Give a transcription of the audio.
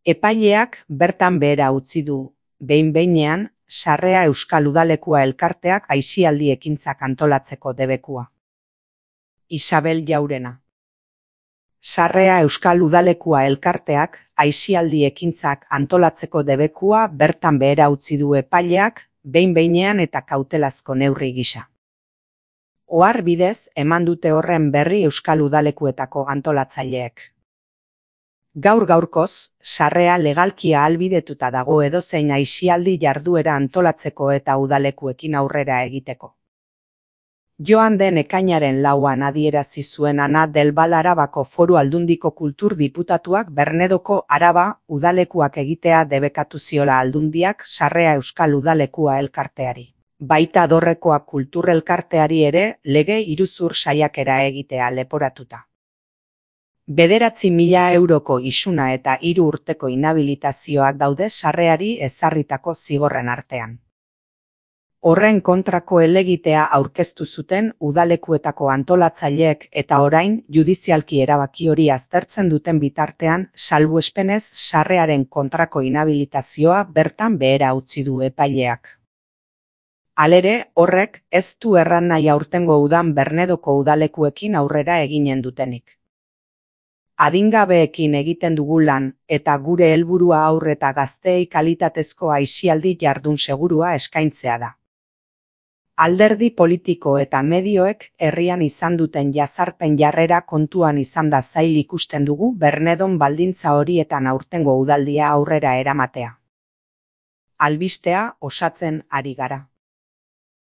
Epaileak bertan behera utzi du, behin-behinean, Sarrea Euskal Udalekua elkarteak aisialdi ekintzak antolatzeko debekua. Isabel Jaurena. Sarrea Euskal Udalekua elkarteak aisialdi ekintzak antolatzeko debekua bertan behera utzi du epaileak, behin-behinean eta kautelazko neurri gisa. Ohar bidez eman dute horren berri Euskal Udalekuetako antolatzaileek. Gaur-gaurkoz, Sarrea legalki ahalbidetuta dago edozein aisialdi jarduera antolatzeko eta udalekuekin aurrera egiteko. Joan den ekainaren 4an adierazi zuen Ana del Val Arabako Foru Aldundiko Kultur Diputatuak Bernedoko Araba udalekuak egitea debekatu ziola Aldundiak Sarrea Euskal Udalekua elkarteari. Baita Dorrekoa Kultur elkarteari ere lege iruzur saiakera egitea leporatuta. 9.000 euroko isuna eta 3 urteko inhabilitazioak daude Sarreari ezarritako zigorren artean. Horren kontrako helegitea aurkeztu zuten udalekuetako antolatzaileek eta orain judizialki erabaki hori aztertzen duten bitartean salbuespenez Sarrearen kontrako inhabilitazioa bertan behera utzi du epaileak. Halere, horrek ez du erran nahi aurtengo udan Bernedoko udalekuekin aurrera eginen dutenik. Adingabeekin egiten dugu lan eta gure helburua haur eta gazteei kalitatezko aisialdi jardun segurua eskaintzea da. Alderdi politiko eta medioek herrian izan duten jazarpen jarrera kontuan izanda zail ikusten dugu Bernedon baldintza horietan aurtengo udaldia aurrera eramatea. Albistea osatzen ari gara.